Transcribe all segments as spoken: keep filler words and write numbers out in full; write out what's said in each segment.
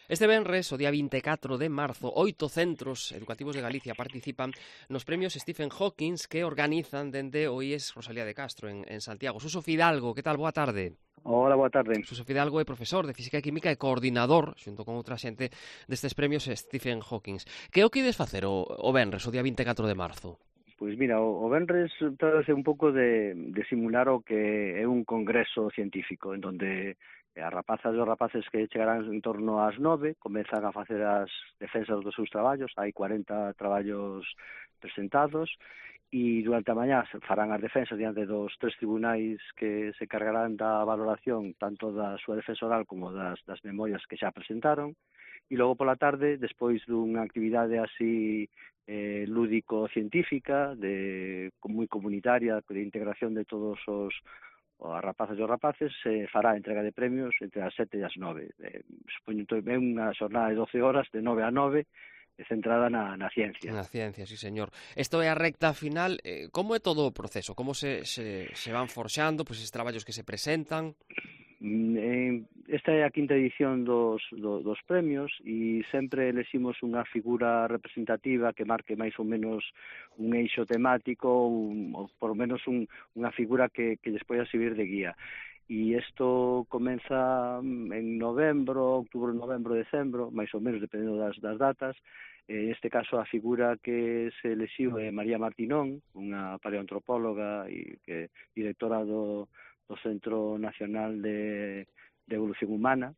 Este venres, o día vinte e catro de marzo, oito centros educativos de Galicia participan nos premios Stephen Hawking que organizan dende o I E S Rosalía de Castro en, en Santiago. Suso Fidalgo, que tal? Boa tarde. Hola, boa tarde. Suso Fidalgo é profesor de Física e Química e coordinador, xunto con outra xente, destes premios Stephen Hawking. Que é o que ides facer o, o venres, o día vinte e catro de marzo? Pois mira, o, o venres trátase un pouco de, de simular o que é un congreso científico, en donde as rapazas e os rapaces que chegarán en torno ás nove comezan a facer as defensas dos seus traballos. Hai cuarenta traballos presentados e durante a mañá farán as defensas diante dos tres tribunais que se cargarán da valoración tanto da súa defensa oral como das, das memorias que xa presentaron. E logo pola tarde, despois dunha actividade así eh, lúdico-científica, de moi comunitaria, de integración de todos os as rapazas e os rapaces, se fará a entrega de premios entre as sete e as nove. Eh, supoño que é unha xornada de doce horas, de nove a nove, centrada na, na ciencia. Na ciencia, sí, señor. Isto é a recta final. Eh, como é todo o proceso? Como se, se, se van forxando pois, estes traballos que se presentan? Esta é a quinta edición dos, do, dos premios e sempre eleximos unha figura representativa que marque máis ou menos un eixo temático, un, ou por menos un, unha figura que, que despois a servir de guía. E isto comeza en novembro, outubro, novembro, decembro, máis ou menos, dependendo das, das datas. En este caso, a figura que se elixiu é María Martinón, unha paleoantropóloga e que directora do do Centro Nacional de, de Evolución Humana,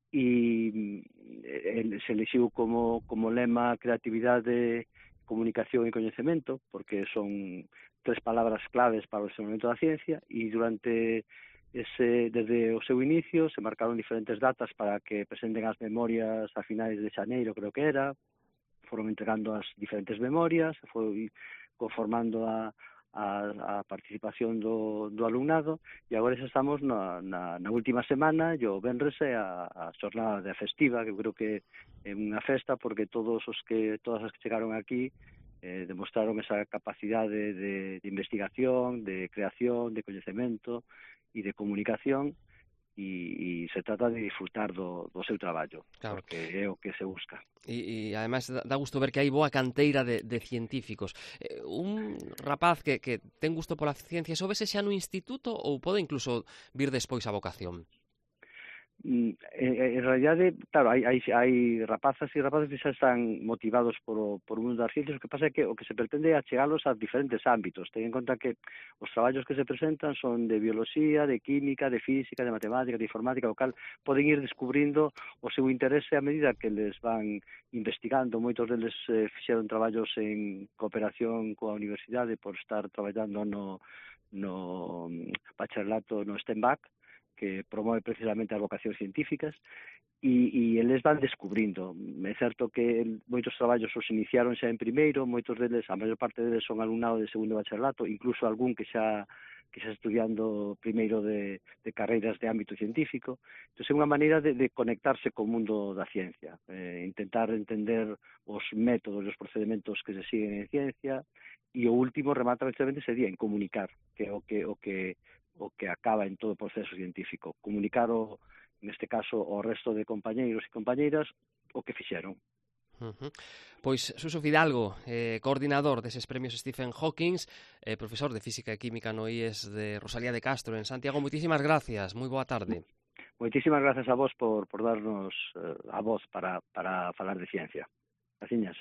e el, se elixiu como, como lema creatividade, comunicación e coñecemento, porque son tres palabras claves para o desenvolvemento da ciencia, e durante ese, desde o seu inicio se marcaron diferentes datas para que presenten as memorias a finais de xaneiro, creo que era, foron entregando as diferentes memorias, foi conformando a a, a participación do, do alumnado, e agora xa estamos na, na, na última semana, e o venres é a, a xornada de festiva, que eu creo que é unha festa, porque todos os que todas as que chegaron aquí eh, demostraron esa capacidade de, de investigación, de creación, de coñecemento e de comunicación, e, e se trata de disfrutar do, do seu traballo, claro, porque é o que se busca. E, e ademais dá gusto ver que hai boa canteira de, de científicos. Eh, un rapaz que, que ten gusto pola ciencia, só vese xa no instituto ou pode incluso vir despois a vocación? En, en realidade, claro, hai, hai, hai rapazas e rapazas que xa están motivados por o, por o mundo das ciencias. O que pasa é que o que se pretende é achegalos a diferentes ámbitos. Ten en conta que os traballos que se presentan son de bioloxía, de química, de física, de matemática, de informática, o cal poden ir descubrindo o seu interese a medida que les van investigando. Moitos deles eh, fixeron traballos en cooperación coa universidade por estar traballando no, no bacharelato no STEMBAC, que promove precisamente as vocacións científicas, e, e eles van descubrindo. É certo que moitos traballos os iniciaron xa en primeiro, moitos deles, a maior parte deles son alumnado de segundo bacharelato, incluso algún que xa que xa estudiando primeiro de, de carreiras de ámbito científico. Entón, é unha maneira de, de conectarse co mundo da ciencia, eh, intentar entender os métodos e os procedementos que se siguen en ciencia, e o último remata precisamente sería en comunicar, que é o que o que o que acaba en todo o proceso científico, comunicar o, neste caso, ao resto de compañeiros e compañeiras o que fixeron. Uh-huh. Pois Suso Fidalgo, eh, coordinador deses premios Stephen Hawking, eh, profesor de Física e Química no I E S de Rosalía de Castro en Santiago, moitísimas gracias, moi boa tarde. Moitísimas gracias a vos por, por darnos eh, a voz para, para falar de ciencia. Graciñas.